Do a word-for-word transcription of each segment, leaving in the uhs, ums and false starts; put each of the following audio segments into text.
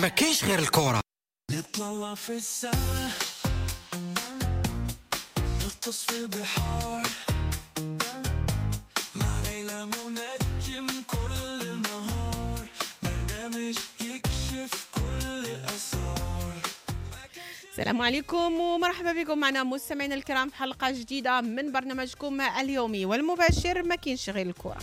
ما كاينش غير الكرة. نطلع في السما، نغطس في البحار، مع ليلى منجم كل النهار، برنامج يكشف كل الأسرار. السلام عليكم ومرحبا بكم معنا مستمعينا الكرام في حلقة جديدة من برنامجكم اليومي والمباشر ما كاينش غير الكرة.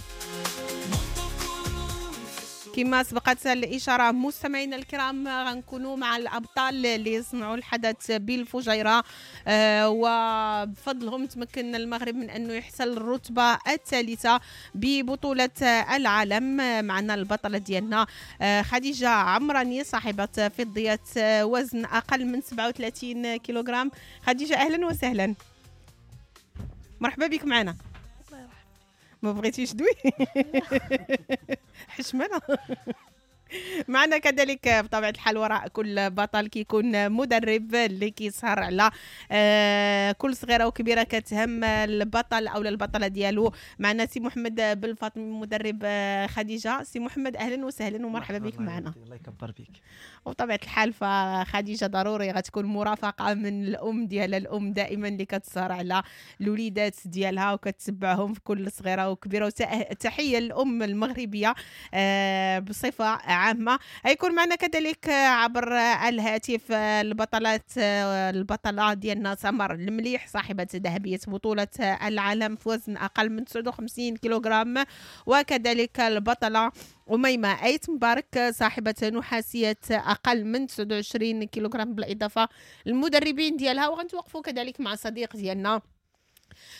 كما سبقت الإشارة مستمعينا الكرام غنكونوا مع الأبطال اللي صنعوا الحدث بالفجيرة، آه وبفضلهم تمكن المغرب من أنه يحصل الرتبة الثالثة ببطولة العالم. معنا البطلة ديالنا آه خديجة عمراني صاحبة فضية وزن أقل من سبعة وثلاثين كيلوغرام. خديجة أهلا وسهلا، مرحبا بك معنا. ما بغيتيش دوي حشمانه. معنا كذلك بطبيعة الحال وراء كل بطل كيكون مدرب اللي كيسهر على كل صغيرة وكبيره كتهم البطل او البطلة ديالو. معنا سي محمد بالفاطمي مدرب خديجة. سي محمد اهلا وسهلا ومرحبا بك معنا. الله يكبر بك. وبطبيعة الحال فخديجه ضروري غتكون مرافقة من الام ديالها، الام دائما اللي كتسهر على الوليدات ديالها وكتتبعهم في كل صغيرة وكبيره. وتحية للام المغربية بصفة عامة. هيكون معنا كذلك عبر الهاتف البطلات البطلة ديالنا سمر المليح صاحبة ذهبية بطولة العالم في وزن أقل من تسعة وخمسين كيلوغرام، وكذلك البطلة أميمة أيت مبارك صاحبة نحاسية أقل من تسعة وعشرين كيلوغرام، بالإضافة للمدربين ديالها. وغنتوقفوا كذلك مع صديق ديالنا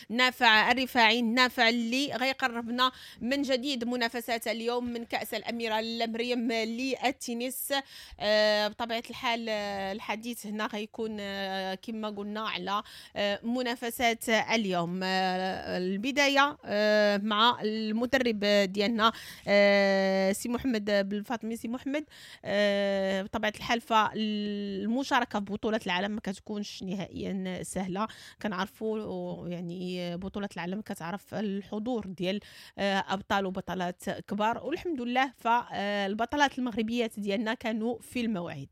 نافع الرفاعي، نافع اللي غيقربنا من جديد منافسات اليوم من كأس الأميرة مريم للتنس. آه بطبيعة الحال الحديث هنا غيكون آه كما قلنا على آه منافسات اليوم. آه البداية آه مع المدرب ديالنا آه سي محمد بالفاطمي. سي محمد، آه بطبيعة الحال فالمشاركة في بطولة العالم ما كتكونش نهائيا سهلة، كنعرفوا يعني بطولة العالم كتعرف الحضور ديال أبطال وبطلات كبار، والحمد لله فالبطلات المغربيات ديالنا كانوا في الموعد.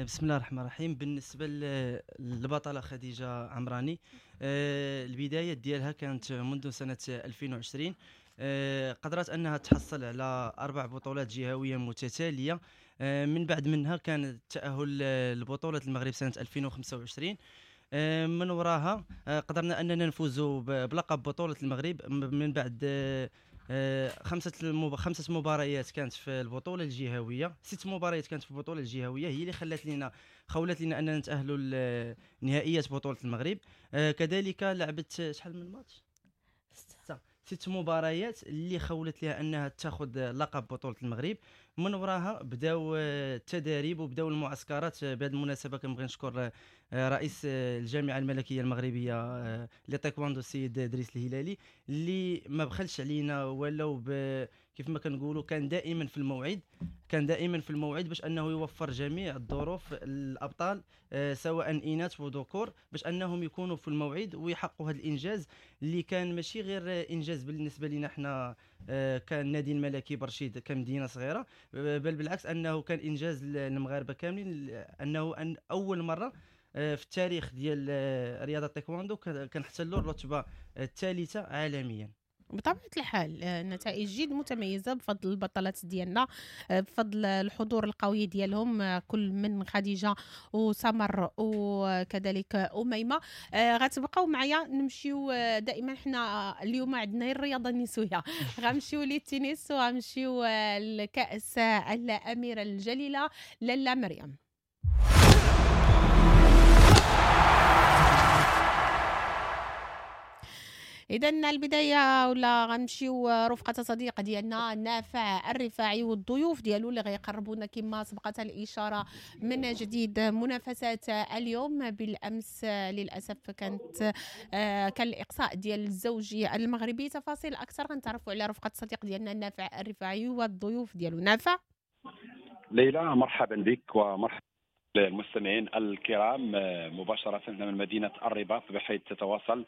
بسم الله الرحمن الرحيم. بالنسبة للبطلة خديجة عمراني، البداية ديالها كانت منذ سنة ألفين وعشرين، قدرت أنها تحصل على أربع بطولات جهوية متتالية، من بعد منها كان التأهل لبطولة المغرب سنة ألفين وخمسة وعشرين، من وراها قدرنا اننا نفوز بلقب بطوله المغرب من بعد خمسة خمسة مباريات كانت في البطولة الجهوية، ست مباريات كانت في البطولة الجهوية، هي اللي خلت لنا خولت لنا اننا نتاهلوا لنهائيات بطوله المغرب. كذلك لعبت شحال من ماتش؟ ستة ست مباريات اللي خولت لها انها تاخذ لقب بطوله المغرب. من وراها بداو التداريب وبداو المعسكرات. بهذه المناسبة كنبغي نشكر رئيس الجامعة الملكية المغربية لتايكواندو السيد دريس الهلالي اللي ما بخلش علينا ولو كيف ما كنقولوا كان دائما في الموعد، كان دائما في الموعد باش انه يوفر جميع الظروف للابطال سواء اناث وذكور باش انهم يكونوا في الموعد ويحققوا هذا الانجاز اللي كان ماشي غير انجاز بالنسبة لنا حنا كان النادي الملكي برشيد كمدينه صغيرة، بل بالعكس انه كان انجاز للمغاربة كاملين، انه أن اول مرة في التاريخ ديال رياضة التايكواندو كنحتلوا الرتبة الثالثة عالميا. بطبيعة الحال نتائج جد متميزة بفضل البطلات ديالنا، بفضل الحضور القوي ديالهم كل من خديجة وسمر وكذلك أميمة. غتبقاو معايا نمشيو دائما، حنا اليوم عندنا الرياضة النسوية، غنمشيو للتنس وغنمشيو لكأس الأميرة الجليلة لاله مريم. إذا البداية ولا غنمشيو رفقة صديق ديالنا نافع الرفاعي والضيوف ديالو اللي غيقربونا كما سبقت الإشارة من جديد منافسات اليوم. بالأمس للأسف كانت كان الإقصاء ديال الزوجي المغربي. تفاصيل أكثر غنتعرفوا على رفقة صديق ديالنا نافع الرفاعي والضيوف ديالو. نافع. ليلى مرحبا بك ومرحبا المستمعين الكرام مباشرة من مدينة الرباط بحيث تتواصل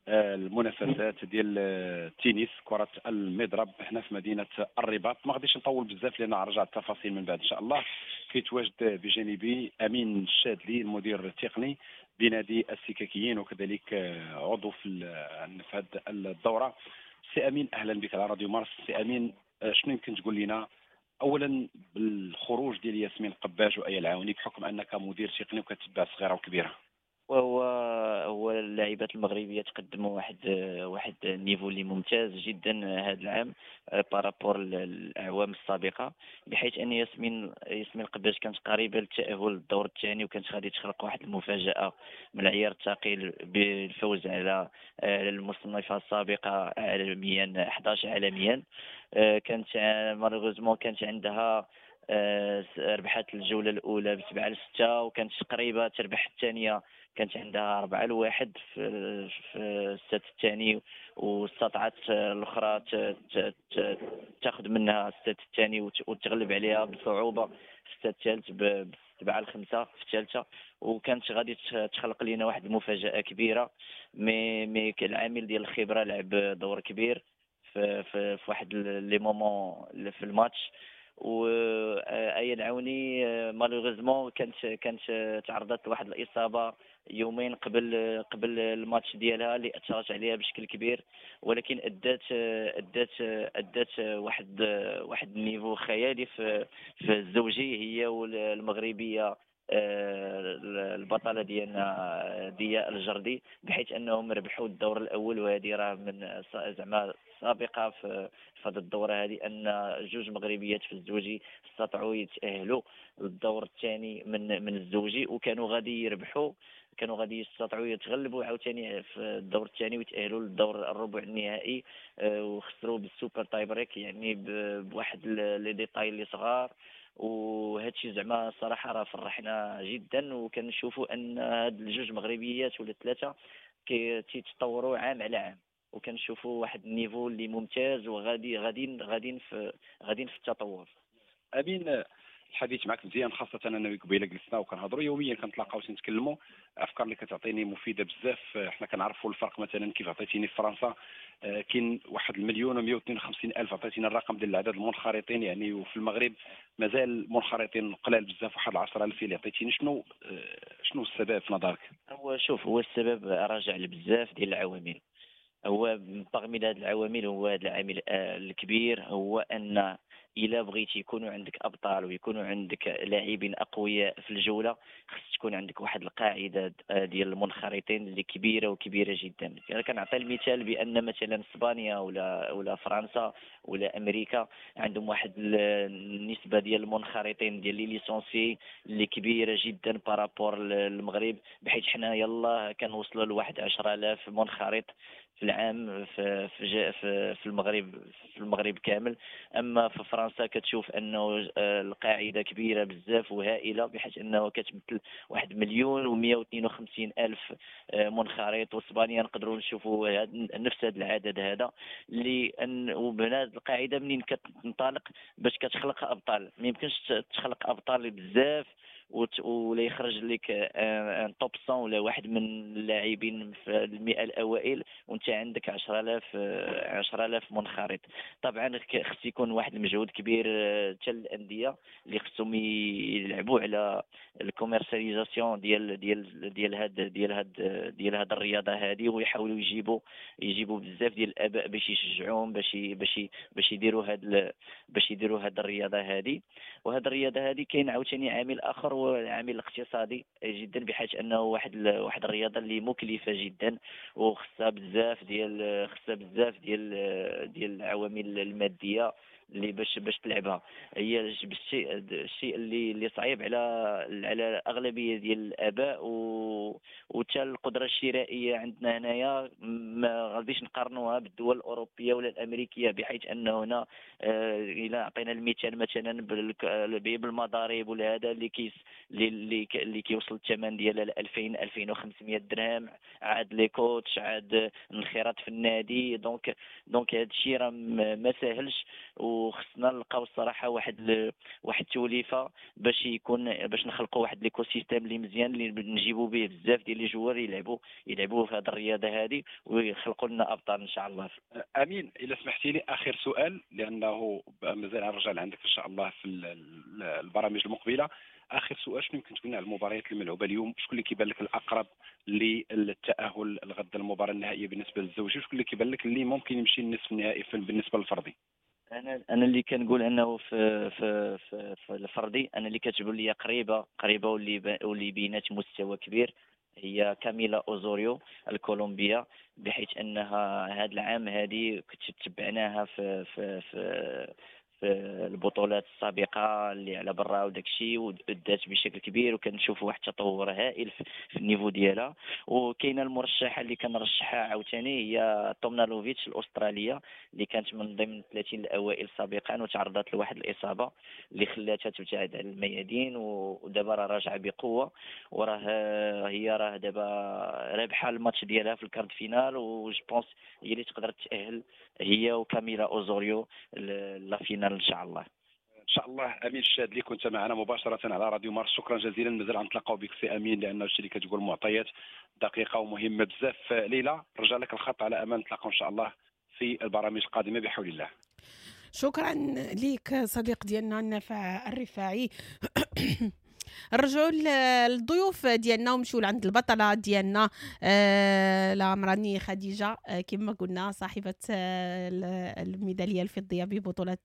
المنافسات ديال التنس كرة المضرب هنا في مدينة الرباط. ما غاديش نطول بزاف لأن غنرجع التفاصيل من بعد إن شاء الله. كيتواجد بجانبي أمين الشادلي المدير التقني بنادي السكاكيين وكذلك عضو في في هذه الدورة. سي أمين، أهلا بك على راديو مارس. سي أمين، شنو يمكن تقول لنا أولا بالخروج ديال ياسمين قباج وآية العاوني بحكم أنك مدير تقني وكتبع صغيرة وكبيرة؟ وهو هو اللاعبات المغربية تقدموا واحد واحد ال niveau اللي ممتاز جدا هذا العام par rapport للاعوام السابقة، بحيث ان ياسمين ياسمين قباج كانت قريبه للتاهل للدور الثاني وكانت غادي تخلق واحد المفاجاة من العيار الثقيل بالفوز على المصنفه السابقة عالميا أحد عشر عالميا. كانت malheureusement كانت عندها ربحت الجولة الاولى بسبعة لستة وكانت قريبه تربح الثانية، كانت عندها أربعة لواحد في في ال set الثاني واستطاعت الأخرى تاخذ منها ال set الثاني وتغلب عليها بصعوبة في ال set الثالث بسبعة لخمسة في الثالثة، وكانت غادي تخلق لنا واحد المفاجأة كبيرة. mais mais العامل ديال الخبرة لعب دور كبير في في, في واحد les moments في الماتش. وآية العوني malheureusement كانت كانت تعرضت لواحد الإصابة يومين قبل قبل الماتش ديالها اللي اثرت عليها بشكل كبير، ولكن ادات ادات ادات واحد واحد ال niveau خيالي في في الزوجي، هي والمغربيه البطلة ديالنا ضياء الجردي، بحيث انهم ربحوا الدور الاول. وهذه راه من زعما سابقه في هذه الدورة هذه ان جوج مغربيات في الزوجي استطاعوا يتاهلوا للدور الثاني من من الزوجي، وكانوا غادي يربحوا، كانوا غادي يستطيعوا يتغلبوا عاوتاني في الدور الثاني ويتاهلوا للدور الربع النهائي، وخسروا بال super tie-break، يعني بواحد les détails اللي صغار. وهذا الشيء زعما الصراحة راه فرحنا جدا، وكنشوفوا ان هاد الجوج مغربيات ولا ثلاثة كيتطوروا عام على عام، وكنشوفوا واحد ال niveau اللي ممتاز وغادي غاديين غاديين في غاديين في التطور. امين، الحديث معك مزيان، خاصة أنا قبيلة جلسنا وكنهضروا يوميا، كنتلاقاو تنتكلموا، الأفكار اللي كتعطيني مفيدة بزاف. حنا كنعرفوا الفرق، مثلا كيف عطيتيني في فرنسا كاين واحد المليون ومئة واثنين وخمسين ألف، عطيتينا الرقم ديال العدد المنخرطين يعني، وفي المغرب مازال منخرطين قلال بزاف، واحد العشرة ألف اللي عطيتيني. شنو شنو السبب في نظرك؟ هو شوف، هو السبب راجع لبزاف ديال العوامل. هو parmi هاد العوامل هو هذا العامل الكبير، هو أن الا بغيتي يكونوا عندك ابطال ويكونوا عندك لاعبين اقوياء في الجولة، خص تكون عندك واحد القاعدة ديال المنخرطين اللي كبيرة وكبيره جدا. انا كنعطي المثال بان مثلا اسبانيا ولا ولا فرنسا ولا امريكا عندهم واحد النسبة ديال المنخرطين ديال les licenciés اللي كبيرة جدا par rapport للمغرب، بحيث حنا يلا كنوصلوا لواحد عشرة آلاف منخرط في العام في في في المغرب في المغرب كامل. اما في فرنسا كتشوف انه القاعدة كبيرة بزاف وهائله، بحيث انه كتمثل واحد مليون ومئة واثنين وخمسين الف منخرط. واسبانيا نقدروا نشوفوا نفس هذا العدد هذا، لان وبهذه القاعدة منين كتنطلق باش كتخلق ابطال. ما يمكنش تخلق ابطال بزاف ولا يخرج لك un top مية ولا واحد من اللاعبين في المئة الاوائل وانت عندك عشرة آلاف عشرة آلاف منخرط. طبعا خص يكون واحد المجهود كبير حتى الاندية اللي خصهم يلعبوا على ال commercialisation ديال ديال ديال هاد ديال هاد ديال هاد الرياضة هذه، ويحاولوا يجيبوا يجيبوا بزاف ديال الاباء باش يشجعوهم باش باش باش يديروا هاد باش يديروا هاد الرياضة هذه. وهاد الرياضة هذه كاين عاوتاني عامل اخر، هو العامل الاقتصادي جدا، بحيث انه واحد واحد الرياضة اللي مكلفة جدا وخصها بزاف ديال خصها بزاف ديال ديال العوامل المادية اللي باش باش تلعبها. هي الشيء الشيء اللي اللي صعيب على على اغلبية ديال الاباء، و وحتى القدرة الشرائية عندنا هنايا ما غاديش نقارنوها بالدول الاوروبية ولا الامريكية، بحيث انه هنا الى عطينا المثال مثلا بالمضارب ولا هذا اللي كيس اللي اللي كيوصل الثمن ديالها ل ألفين ألفين وخمسمية درهم، عاد les coachs، عاد الانخراط في النادي. donc donc هذا الشيء راه ما ساهلش، وخصنا نلقاو الصراحة واحد ل... واحد التوليفه باش يكون باش نخلقوا واحد l'écosystème اللي مزيان اللي نجيبوا به بزاف ديال ديال les joueurs يلعبوا يلعبوا في هذه الرياضة هذه ويخلقوا لنا ابطال ان شاء الله. امين، الا سمحتي لي اخر سؤال لانه مازال نرجع لعندك ان شاء الله في البرامج المقبلة. اخر سؤال، شنو يمكن تقول لنا على المباريات الملعوبه اليوم؟ شكون اللي كيبان لك الاقرب للتاهل الغد المباراة النهائية بالنسبة للزوجي، وشكون اللي كيبان لك اللي ممكن يمشي للنصف النهائي بالنسبة للفردي؟ انا انا اللي كنقول انه في في في, في الفردي انا اللي كتبان لي قريبه قريبه واللي واللي بينات مستوى كبير هي كاميلا اوزوريو الكولومبيه، بحيث انها هذا العام هذه كنت تبعناها في في في في البطولات السابقة اللي على برا وداك الشيء، ودات بشكل كبير وكنشوفوا واحد التطور هائل في ال niveau ديالها. وكاينه المرشحه اللي كنرشحها عاوتاني هي تومنالوفيتش الاسترالية اللي كانت من ضمن ثلاثين الاوائل سابقا وتعرضت لواحد الاصابة اللي خلاتها تبتعد على الميادين، ودابا راه راجعه بقوة، وراه هي راه دابا رابحه الماتش ديالها في ال quart de finale، و je pense هي اللي تقدر تاهل هي وكاميلا اوزوريو la finale ان شاء الله. ان شاء الله. امين الشاذلي كنت معنا مباشرة على راديو مارس، شكرا جزيلا. مازال غنتلاقاو بك سي امين لان الشيء اللي كتقول معطيات دقيقة ومهمة بزاف. ليلى رجع لك الخط على امل نتلاقاو ان شاء الله في البرامج القادمة بحول الله. شكرا لك صديق ديالنا النافع الرفاعي. نرجعوا للضيوف ديالنا ونمشيو لعند البطلة ديالنا آه العمراني خديجة، آه كما قلنا صاحبه آه الميداليه الفضيه ببطولة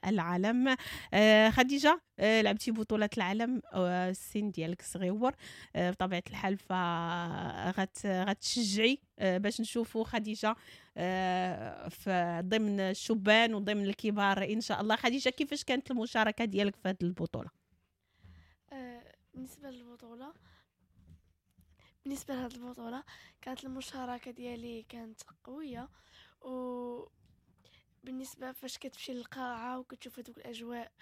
العالم. آه خديجة، آه لعبتي بطوله العالم، آه السن ديالك صغيور، آه بطبيعة الحال فغت غتشجعي آه باش نشوفوا خديجة آه في ضمن الشبان وضمن الكبار ان شاء الله. خديجة، كيفاش كانت المشاركة ديالك في هذه البطولة؟ بالنسبة للبطولة بالنسبة لهذه البطولة كانت المشاركة ديالي كانت قوية، وبالنسبة فاش كتمشي للقاعه وكتشوف هذوك الاجواء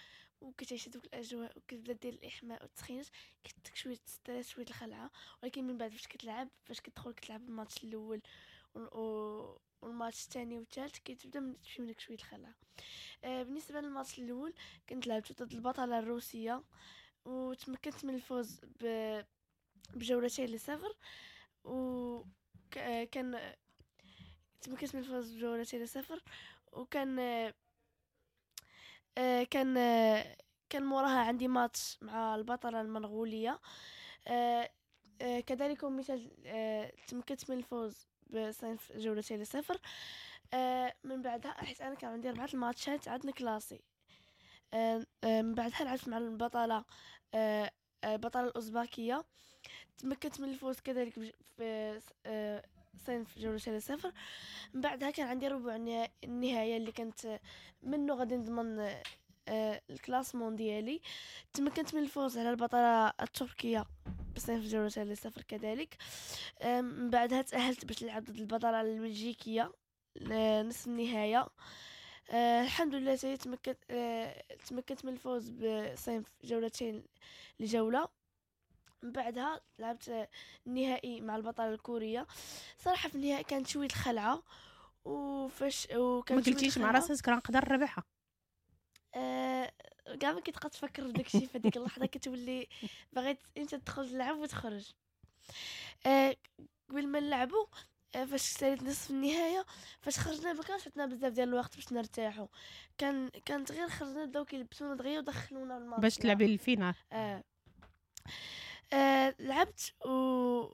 وكتعيش هذوك الاجواء وكتبدا دير الاحماء والتسخينات كتك شوية stress شوية الخلعة، ولكن من بعد فاش كتلعب فاش كتدخل كتلعب الماتش الاول والماتش الثاني والثالث كتبدا تمشي منك شوية الخلعة. بالنسبة للماتش الاول كنت لعبت ضد البطلة الروسية وتمكنت من الفوز بجولتين لصفر، وكان تمكنت من الفوز بجولتين لصفر، وكان كان كان موراها عندي ماتش مع البطلة المنغولية، كذلك مثال تمكنت من الفوز بصنف جولتين لصفر. من بعدها حيت انا كان عندي اربعة الماتشات عندنا classé، من بعدها لعبت مع البطلة البطلة الأوزباكية، تمكنت من الفوز كذلك في صنف جولتين لصفر. من بعدها كان عندي ربع النهاية اللي كانت منه غادي نضمن ال classement ديالي، تمكنت من الفوز على البطلة التركية بصنف جولتين لصفر كذلك. من بعدها تأهلت باش نلعب ضد البطلة البلجيكية نصف النهاية. آه الحمد لله تمكنت آه تمكنت من الفوز بصنف جولتين لجولة. من بعدها لعبت النهائي مع البطلة الكورية. صراحة في النهائي كانت شوية الخلعة، وفاش وكان ما قلتيش مع راسك راه نقدر نربحها؟ آه كاع ما كتبقى تفكر في داكشي في هذيك اللحظة، كتولي بغيت انت تدخل تلعب وتخرج. آه قبل ما نلعبوا فاش ساليت نصف النهاية فاش خرجنا ما كانش عندنا بزاف ديال الوقت باش نرتاحوا، كان كانت غير خرجنا بداو كيلبسونا دغيا ودخلونا الماتش باش تلعبي ال finale. آه. آه لعبت و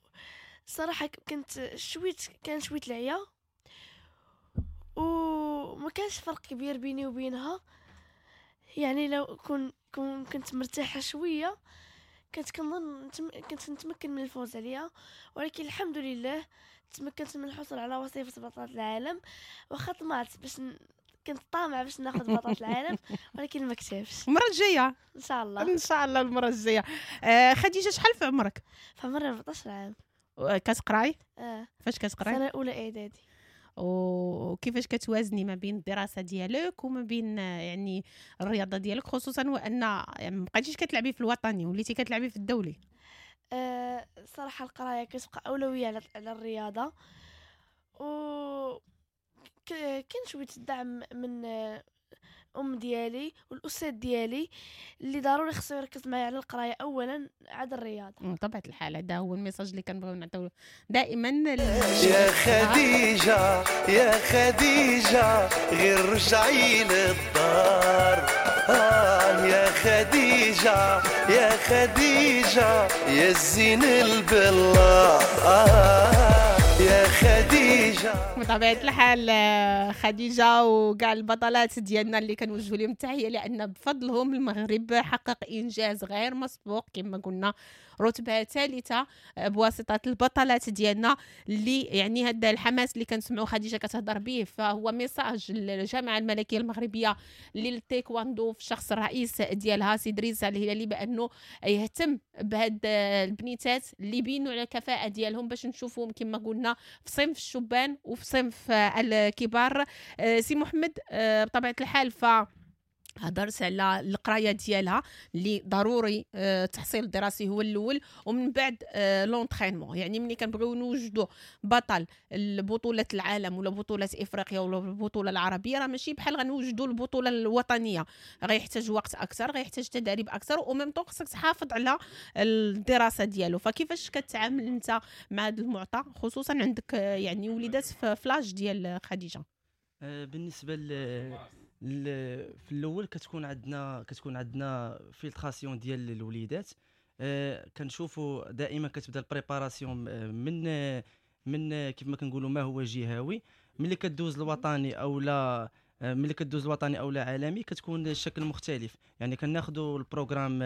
صراحة كنت شويت كان شوية العيا وما كانش فرق كبير بيني وبينها، يعني لو كن كنت مرتاحة شوية كنت كنظن كنت نتمكن من الفوز عليها، ولكن الحمد لله تمكنت من الحصول على وصيفة بطلة العالم. واخا طمعت باش ن... كنت طامعة باش ناخذ بطلة العالم ولكن ما كتبش. المرة الجاية ان شاء الله. ان شاء الله المرة الجاية. آه خديجة، شحال في عمرك؟ في عمري أربعطاش عام. كتقراي؟ اه. فاش كتقراي؟ سنة اولى اعدادي. وكيفاش كتوازني ما بين الدراسة ديالك وما بين يعني الرياضة ديالك، خصوصا وان يعني ما بقيتيش كتلعبي في الوطني وليتي كتلعبي في الدولي؟ أه صراحة القراية كتبقى اولوية على على الرياضة، و كاين شوية الدعم من ام ديالي والاستاذ ديالي اللي ضروري خصو يركز معايا على القراية اولا عاد الرياضة. بطبيعة الحال هذا هو ال message اللي كنبغيو نعطيو دائما. يا خديجة يا خديجة غير رجعي للدار، آه يا خديجة يا خديجة يا الزين البلا، آه يا خديجة. بطبيعة الحال خديجة وكاع البطلات ديالنا اللي كنوجهوا لهم التحية، لأن بفضلهم المغرب حقق إنجاز غير مسبوق كما قلنا، رتبة ثالثة بواسطة البطلات ديالنا اللي يعني هذا الحماس اللي كنسمعوا خديجة كتهضر به فهو message للجامعة الملكية المغربية للتايكواندو في شخص الرئيس ديالها سي دريس الهلالي بأنه يهتم بهاد البنيتات اللي بينوا على الكفاءة ديالهم باش نشوفوهم كما قلنا في صنف الشبان وفي صنف الكبار. سي محمد بطبيعة الحال ف هضرت على القراية ديالها اللي ضروري التحصيل الدراسي هو الاول، ومن بعد l'entraînement. يعني ملي كنبغيو نوجدوا بطل لبطولة العالم ولا بطوله افريقيا ولا البطولة العربية راه ماشي بحال غنوجدوا البطولة الوطنية، غيحتاج وقت اكثر، غيحتاج تدريب اكثر، و même temps خصك تحافظ على الدراسة ديالو. فكيفاش كتعامل انت مع هذا المعطى خصوصا عندك يعني وليدات في l'âge ديال خديجة؟ بالنسبة ل في الاول كتكون عندنا كتكون عندنا filtration ديال الوليدات. أه كنشوفوا دائما كتبدا ال préparation من من كيف ما كنقولوا ما هو جهوي، ملي كدوز الوطني او لا ملي كدوز الوطني او لا عالمي كتكون الشكل مختلف. يعني كناخذوا ال programme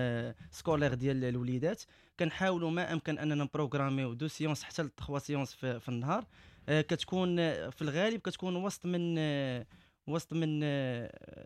scolaire ديال الوليدات، كنحاولوا ما امكن اننا نبروغراميو deux séances حتى ل trois séances في, في النهار. أه كتكون في الغالب كتكون وسط من وسط من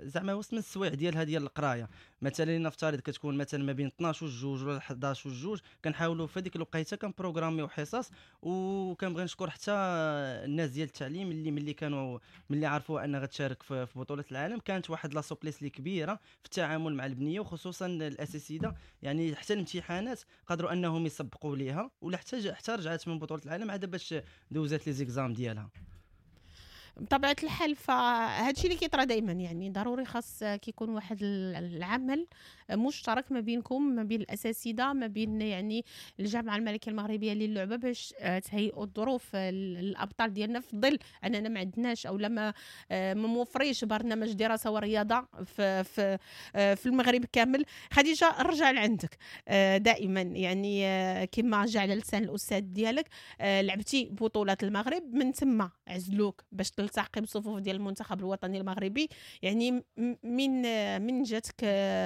زعما وسط من السوايع ديالها ديال القراية. مثلا نفترض كتكون مثلا ما بين اثناش وجوج ولا حداش وجوج، كنحاولوا في هذيك الوقيته كنبروغراميو حصص. وكنبغي نشكر حتى الناس ديال التعليم اللي ملي كانوا ملي عرفوا ان غتشارك في بطوله العالم كانت واحد la souplesse اللي كبيرة في التعامل مع البنية، وخصوصا الاساتذة. يعني حتى الامتحانات قدروا انهم يسبقوا ليها، ولا حتى حتى رجعت من بطوله العالم عاد باش دوزات les examens ديالها. بطبيعة الحال فهادشي اللي كيطرا دائما، يعني ضروري خاص كيكون واحد العمل مشترك ما بينكم، ما بين الاساتذة، ما بين يعني الجامعة الملكية المغربية للعبة باش تهيئوا الظروف للابطال ديالنا، في ظل اننا ما عندناش او ما ما موفريش برنامج دراسة ورياضة في في في المغرب كامل. خديجة رجع لعندك دائما، يعني كما جا على لسان الاستاذ ديالك لعبتي بطولات المغرب، من ثم عزلوك باش تلتحقي بصفوف ديال المنتخب الوطني المغربي. يعني من من جاتك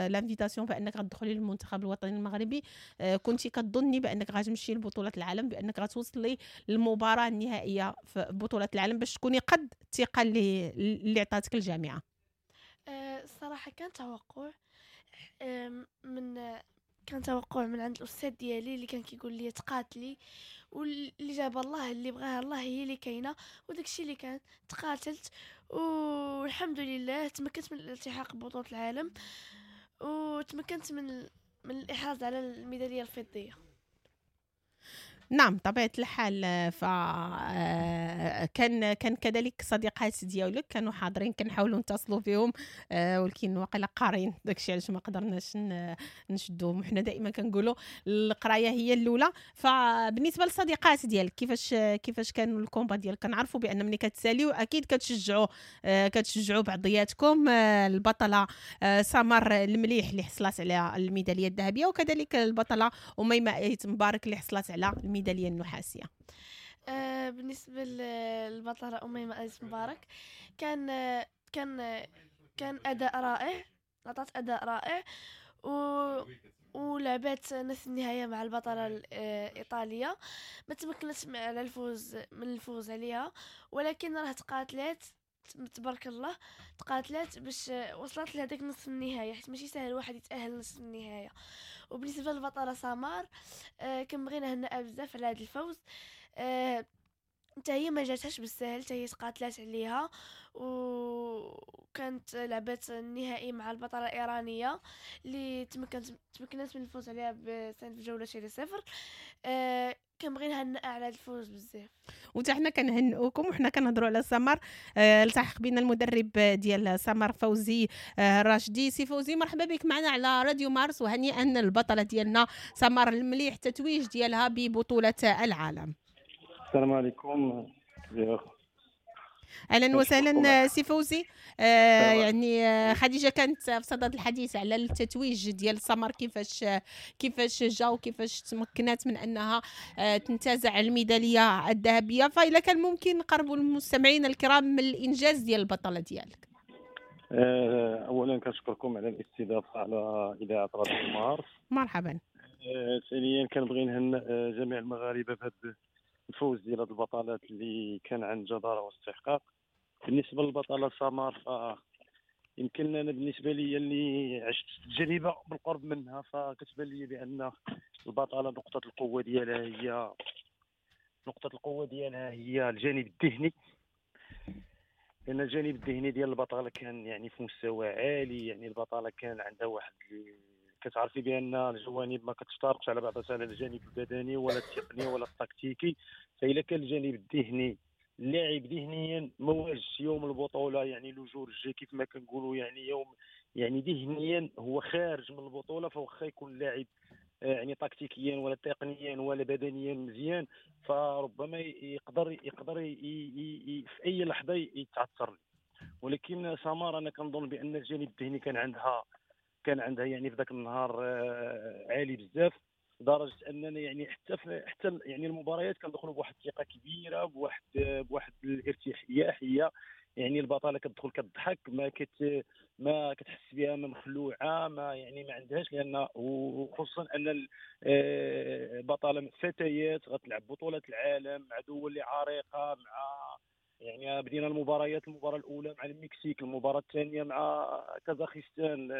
l'invitation بانك غتدخلي للمنتخب الوطني المغربي، كنتي كتظني بانك غتمشي لبطولة العالم، بانك غتوصلي للمباراة النهائية في بطوله العالم باش تكوني قد الثقة اللي اللي عطاتك الجامعة؟ الصراحة كان توقع من كان توقع من عند الاستاذ ديالي اللي كان كيقول لي تقاتلي، واللي جاب الله اللي بغاها الله هي اللي كاينه، وداكشي اللي كان تقاتلت والحمد لله تمكنت من الالتحاق ببطولة العالم، وتمكنت من من الاحراز على الميداليه الفضيه. نعم طبيعة الحال. ف كان كان كذلك صديقات ديالك كانوا حاضرين، كنحاولوا نتصلوا فيهم ولكن واقيلا قارين داكشي علاش ما قدرناش نشدوهم. حنا دائما كنقولوا القراية هي الاولى. فبالنسبه للصديقات ديالك كيفاش كيفاش كانوا ال combat ديالك؟ كنعرفوا بان ملي كتساليو اكيد كتشجعوا كتشجعوا بعضياتكم. البطلة سمر المليح اللي حصلت على الميداليه الذهبية، وكذلك البطلة اميمة ايت مبارك اللي حصلت على الميداليه النحاسيه. آه بالنسبة للبطله اميمة ايت مبارك كان كان كان اداء رائع، عطات اداء رائع و ولعبات نصف النهاية مع البطلة الايطالية، ما تمكنتش على الفوز من الفوز عليها، ولكن راه تقاتلات تبارك الله، تقاتلات باش وصلت لهذاك نصف النهاية، حيت ماشي سهل واحد يتاهل نصف النهاية. وبالنسبة للبطله سمار آه كنبغي نهنئها بزاف على هذا الفوز، آه حتى هي ما جاتهاش بالسهل، حتى هي تقاتلات عليها وكانت لعبت النهائي مع البطلة الايرانية اللي تمكنت تمكنت من الفوز عليها بسنة جولتين لصفر. آه كنبغي نهنئها على هذا الفوز بزاف. وتا حنا كنهنئوكم وحنا كنهضروا على سمر. آه، التحق بنا المدرب ديال سمر فوزي آه، راشدي. سي فوزي مرحبا بك معنا على راديو مارس، وهنيئا البطلة ديالنا سمر المليح التتويج ديالها ببطولة العالم. السلام عليكم. اهلا وسهلا سي فوزي. آه يعني آه خديجة كانت في صدد الحديث على التتويج ديال سمر، كيفاش كيفاش جا وكيفاش تمكنات من انها آه تنتزع الميداليه الذهبية، فإلا كان ممكن نقربوا المستمعين الكرام من الانجاز ديال البطلة ديالك. آه اولا كنشكركم على الاستضافة على اذاعة راديو مارس. مرحبا. آه ثانيا كنبغي نهنئ جميع المغاربة بهذا الفوز ديال هاد البطلات اللي كان عن جدارة واستحقاق. بالنسبة للبطلة سمر، ف يمكن أنا بالنسبة لي اللي عشت تجربة بالقرب منها، فكتبان لي بأن البطلة نقطة القوة ديالها هي نقطة القوة ديالها هي الجانب الذهني، لأن الجانب الذهني ديال البطلة كان يعني في مستوى عالي. يعني البطلة كان عندها واحد، كتعرفي بان الجوانب ما كتفترقش على بعضها، على الجانب البدني ولا التقني ولا التكتيكي. فإلا كان الجانب الذهني اللاعب ذهنيا ما واجهش يوم البطولة، يعني le jour J كيف ما كنقولوا، يعني يوم يعني ذهنيا هو خارج من البطولة، فواخا يكون اللاعب يعني تكتيكيا ولا تقنيا ولا بدنيا مزيان، فربما يقدر يقدر في اي لحظة يتعثر. ولكن سمر انا كنظن بان الجانب الذهني كان عندها كان عندها يعني في ذاك النهار عالي بزاف، لدرجة اننا يعني حتى في حتى يعني المباريات كندخلوا بواحد الثقة كبيرة، بواحد بواحد الارتياحيه. يعني البطلة كتدخل كتضحك، ما كت ما كتحس بها ما مخلوعه، ما يعني ما عندهاش، لان وخصوصا ان البطلة فتيات غتلعب بطوله العالم مع دول عريقة، مع يعني بدينا المباريات، المباراة الاولى مع المكسيك، المباراة الثانية مع كازاخستان،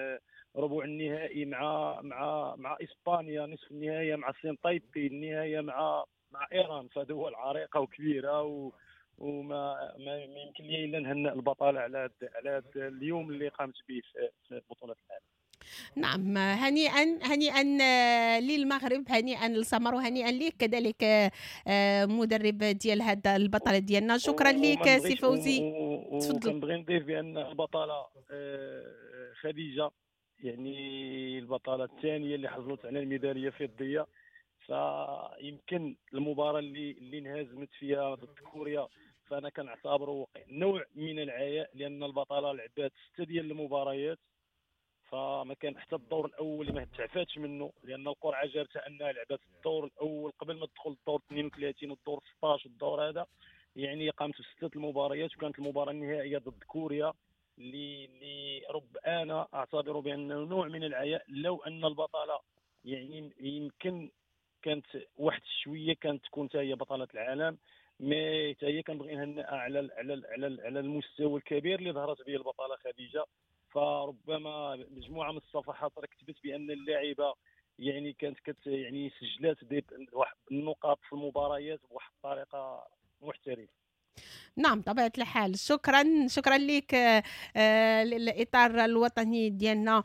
ربع النهائي مع مع مع اسبانيا، نصف النهائي مع الصين تايبي، النهاية مع مع ايران. فدول عريقة وكبيره و وما ما يمكن لي الا نهنئ البطلة على على اليوم اللي قامت به في بطوله العالم. نعم، هنيئا هنيئا للمغرب، هنيئا لسمر، وهنيئا لك كذلك مدرب ديال هذا البطلة ديالنا. شكرا لك سي فوزي. تفضل. كنبغي نضيف بان البطلة خديجة يعني البطلة الثانية اللي حصلت على الميداليه الفضيه، فيمكن المباراة اللي اللي انهزمت فيها ضد كوريا فانا كنعتبره نوع من العياء، لان البطلة لعبات ستة ديال المباريات، فما كان حتى الدور الاول اللي ما تعفاتش منه، لان القرعة جابتها انها لعبات الدور الاول قبل ما تدخل الدور اثنين وثلاثين والدور ستة عشر والدور هذا، يعني قامت بسته المباريات، وكانت المباراة النهائية ضد كوريا اللي اللي رب انا اعتبره بانه نوع من العياء. لو ان البطلة يعني يمكن كانت واحد شوية كانت تكون حتى هي بطلة العالم، mais حتى هي كنبغي نهنئها على على على على المستوى الكبير اللي ظهرت به البطلة خديجة. فربما مجموعة من الصفحات راه كتبت بان اللاعبه يعني كانت كت يعني سجلات واحد النقاط في المباريات بواحد الطريقة محترفه. نعم طبيعة الحال. شكرا شكرا لك الإطار الوطني ديالنا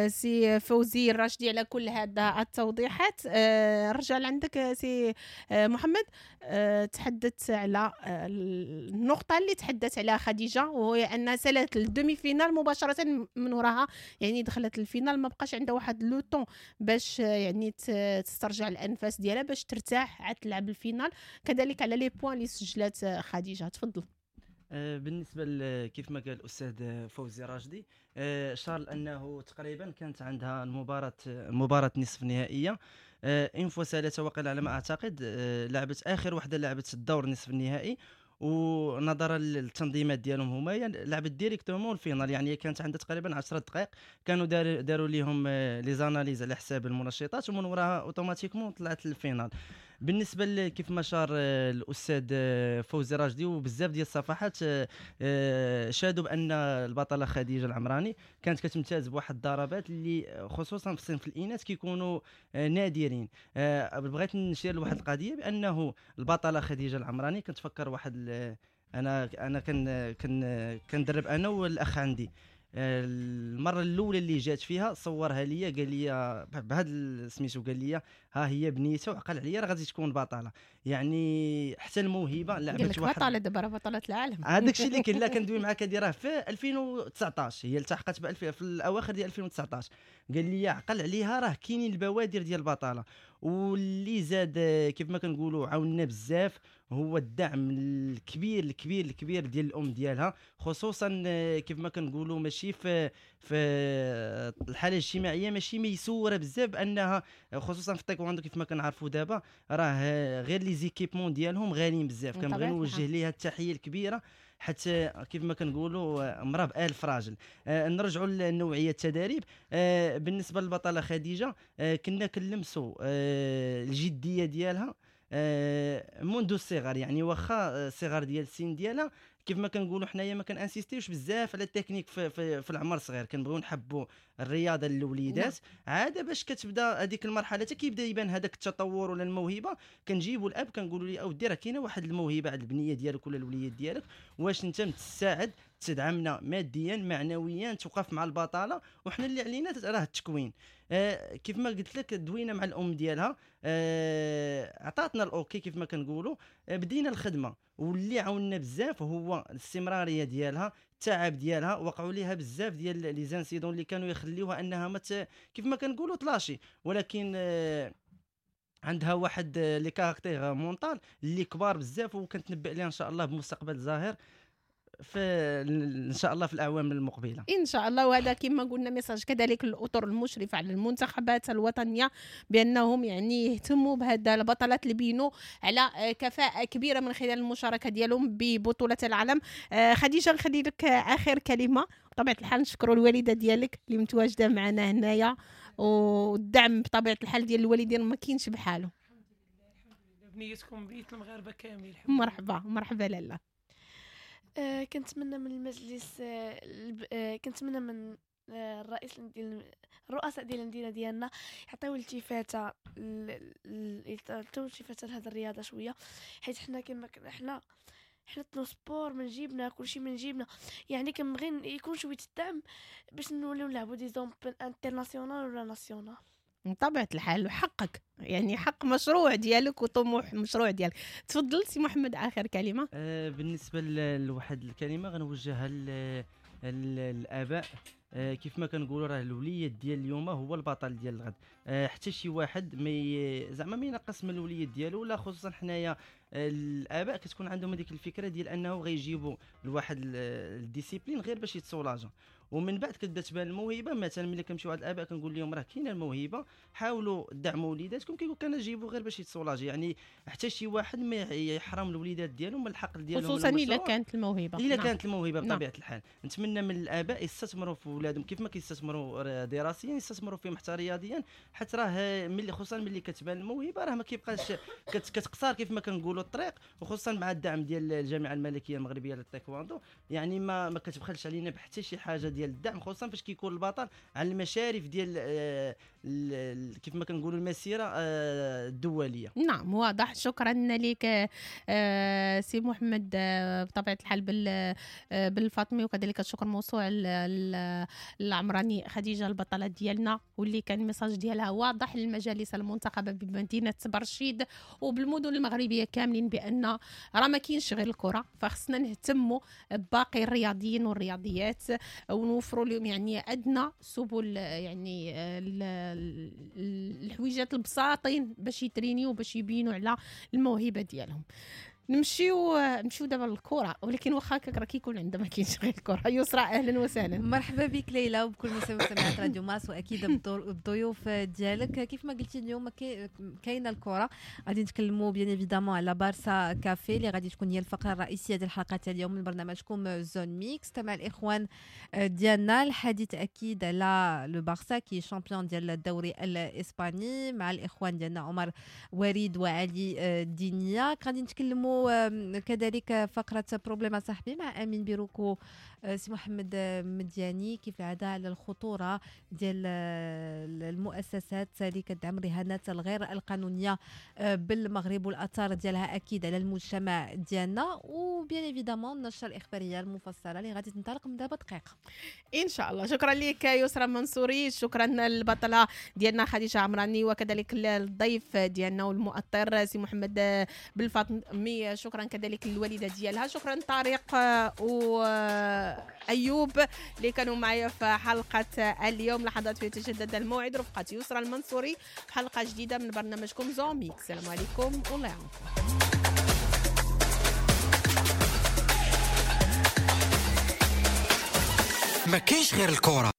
سي فوزي الراشدي على كل هذا التوضيحات. رجع لعندك سي محمد، تحدث على النقطة اللي تحدث عليها خديجة، وهي أنها سالت ال demi-finale مباشرة من وراها، يعني دخلت ال finale ما بقاش عندها واحد le temps باش يعني تسترجع الأنفاس ديالها باش ترتاح عاد تلعب ال finale. كذلك على les points اللي سجلات خديجة. تفضل. بالنسبة كيف ما قال الاستاذ فوزي راشدي، شار انه تقريبا كانت عندها المباراة المباراة نصف النهائية une fois سالت وقيل على ما اعتقد، لعبت اخر وحده لعبت الدور نصف النهائي، ونظرا للتنظيمات ديالهم هما لعبت directement ال finale، يعني كانت عندها تقريبا عشرة دقائق، كانوا داروا ليهم les analyses على حساب المنشطات، ومن وراها automatiquement طلعت لل finale. بالنسبة كيف ما شار الاستاذ فوزي راشدي وبزاف ديال الصفحات شادوا بان البطلة خديجه العمراني كانت كتمتاز بواحد الضربات اللي خصوصا في صنف الاناث كيكونوا نادرين. بغيت نشير لواحد القضية بانه البطلة خديجه العمراني كنتفكر واحد انا انا كن كن كندرب انا والاخ عندي، المرة الاولى اللي جات فيها صورها ليا قال لي بهذا سميتو، قال لي ها هي بنيته وعقل عليا راه غادي تكون بطلة. يعني حتى الموهبة لعبت واحد بطلة دابا راه بطلة العالم. هذاك الشيء اللي كاين. لا كندوي معاك هذه راه في ألفين وتسعطاش، هي التحقت في الاواخر ديال ألفين وتسعطاش. قال لي عقل عليها راه كاينين البوادر ديال البطلة. واللي زاد كيف ما كنقولوا عاوننا بزاف هو الدعم الكبير الكبير الكبير ديال الام ديالها، خصوصا كيف ما كنقولوا ماشي في في الحالة الاجتماعية ماشي ميسوره بزاف، بانها خصوصا في التايكوندو كيف ما كنعرفوا دابا راه غير les équipements ديالهم غاليين بزاف. كنبغي نوجه ليها التحية الكبيرة حتى كيف ما كنقولوا امراة بألف راجل. آه نرجعوا لنوعيه التدريب. آه بالنسبة للبطله خديجه آه كنا كنلمسوا آه الجدية ديالها آه منذ الصغر، يعني واخا الصغر ديال السن ديالها كيف ما كنقولوا حنايا ما كنانسيستيوش بزاف على التكنيك في, في, في العمر الصغير، كنبغيو نحبوا الرياضة للوليدات عادة باش كتبدا هذيك المرحلة حتى كيبدا يبان هذاك التطور ولا الموهبة. كنجيبوا الاب كنقولوا ليه اودي راه كاينه واحد الموهبة عند البنية ديالك ولا الوليد ديالك، واش انت متساعد تدعمنا ماديا معنويا توقف مع البطالة، وحنا اللي علينا راه التكوين. آه كيف ما قلت لك دوينا مع الام ديالها، آه عطاتنا ال OK كيف ما كنقولوا، آه بدينا الخدمة. واللي عاوننا بزاف هو الاستمرارية ديالها، التعب ديالها، وقعوا ليها بزاف ديال les incidents اللي كانوا يخليوها انها ما كيف ما كنقولوا تلاشي، ولكن آه عندها واحد le caractère mental اللي كبار بزاف، وكنتنبأ لها ان شاء الله بمستقبل زاهر في ان شاء الله في الاعوام المقبلة ان شاء الله. وهذا كما قلنا message كذلك للاطر المشرفة على المنتخبات الوطنية بانهم يعني يهتموا بهذا البطلات اللي بينوا على كفاءة كبيرة من خلال المشاركة ديالهم ببطولة العالم. خديجه نخلي لك اخر كلمة. بطبيعة الحال نشكروا الوالدة ديالك اللي متواجدة معنا هنايا، والدعم بطبيعة الحال ديال الوالدين ما كاينش بحاله. الحمد لله الحمد لله، بنيتكم بنيت المغاربة كامل. مرحبا مرحبا لاله. آه كنتمنى من المجلس، آه آه كنتمنى من آه الرئيس ديال الرؤساء ديال المدينة ديالنا يعطيو التفاته يعطيو التفاته لهذه الرياضة شوية، حيت حنا كما حنا حنا transport من جيبنا، كلشي من جيبنا، يعني كنبغي يكون شوية الدعم باش نوليو نلعبوا des open international ولا national. بطبيعة الحال حقك، يعني حق مشروع ديالك وطموح مشروع ديالك. تفضل سي محمد اخر كلمة. آه بالنسبة لواحد الكلمة غنوجهها للاباء، آه كيف ما كنقولوا راه الوليد ديال اليوم هو البطل ديال الغد. آه حتى شي واحد ما زعما ما ينقص من الوليد ديالو، ولا خصوصا حنايا الاباء كتكون عندهم هذيك الفكرة ديال انه غيجيبوا لواحد ال discipline غير باش يتسولاجا، ومن بعد كتبدا تبان الموهبة. مثلا ملي كنمشيو عند الاباء كنقول لهم راه كاينه الموهبة، حاولوا دعموا وليداتكم، كيقول كان جيبوا غير باش يتسولاجي. يعني حتى شي واحد ما يحرم الوليدات ديالهم من الحق ديالهم، خصوصا الا كانت الموهبة. الا كانت الموهبة بطبيعة الحال. نتمنى من الاباء يستثمروا في ولادهم كيف ما كيستثمروا دراسيا، يستثمروا فيهم حتى رياضيا، حتى راه ملي خصوصا ملي كتبان الموهبة راه ما كيبقاش كتقصار كيف ما كنقولوا الطريق، وخصوصا مع الدعم ديال الجامعة الملكية المغربية للتايكواندو، يعني ما ما كتبخلش علينا بحتى شي حاجة ديال الدعم، خصوصا فاش كيكون البطل على المشارف ديال كيف ما كنقولوا المسيرة الدولية. نعم واضح. شكرا لك سي محمد بطبيعة الحال بالفاطمي، وكذلك الشكر موصول العمراني خديجه البطلة ديالنا، واللي كان message ديالها واضح للمجالس المنتخبه بمدينة برشيد وبالمدن المغربية كاملين بان راه ما كاينش غير الكره، فخصنا نهتموا بباقي الرياضيين والرياضيات ونوفروا لهم يعني ادنى سبل، يعني الحويجات البساطين باش يترينيو باش يبينوا على الموهبة ديالهم. نمشيو نمشيو دابا للكرة، ولكن واخا هكاك راه كيكون عندنا ما كاينش غير الكره. يسرى اهلا وسهلا. مرحبا بك ليلى وبكل مستمعات راديو مارس، واكيد بالضيوف ديالك. كيف ما قلتي اليوم كاينه الكره، غادي نتكلموا bien évidemment على بارسا كافي اللي غادي تكون هي الفقرة الرئيسية ديال الحلقة تاع اليوم من برنامجكم Zone Mixte مع الاخوان ديالنا. الحديث اكيد على le Barça qui est champion ديال الدوري الاسباني مع الاخوان ديالنا عمر وريد وعلي دينيا. غادي نتكلموا كذلك فقرة problème صاحبي مع أمين بيروكو سي محمد مدياني كيف العادة على الخطورة ديال المؤسسات اللي كتدعم الرهانات الغير القانونية بالمغرب والأثار ديالها أكيد على المجتمع ديالنا، و bien évidemment النشرة الإخبارية المفصلة اللي غادي تنطلق من دابا دقيقة إن شاء الله. شكرا لك يسرى منصوري، شكرا للبطلة ديالنا خديجة عمراني، وكذلك الضيف ديالنا والمؤطر سي محمد بالفاطمي، شكرا كذلك للوالده ديالها، شكرا طارق وايوب اللي كانوا معايا في حلقة اليوم. لحظات في تجدد الموعد رفقه يسرى المنصوري في حلقة جديدة من برنامجكم Zone Mixte. السلام عليكم والله يعاونكم. ما كاينش غير الكره.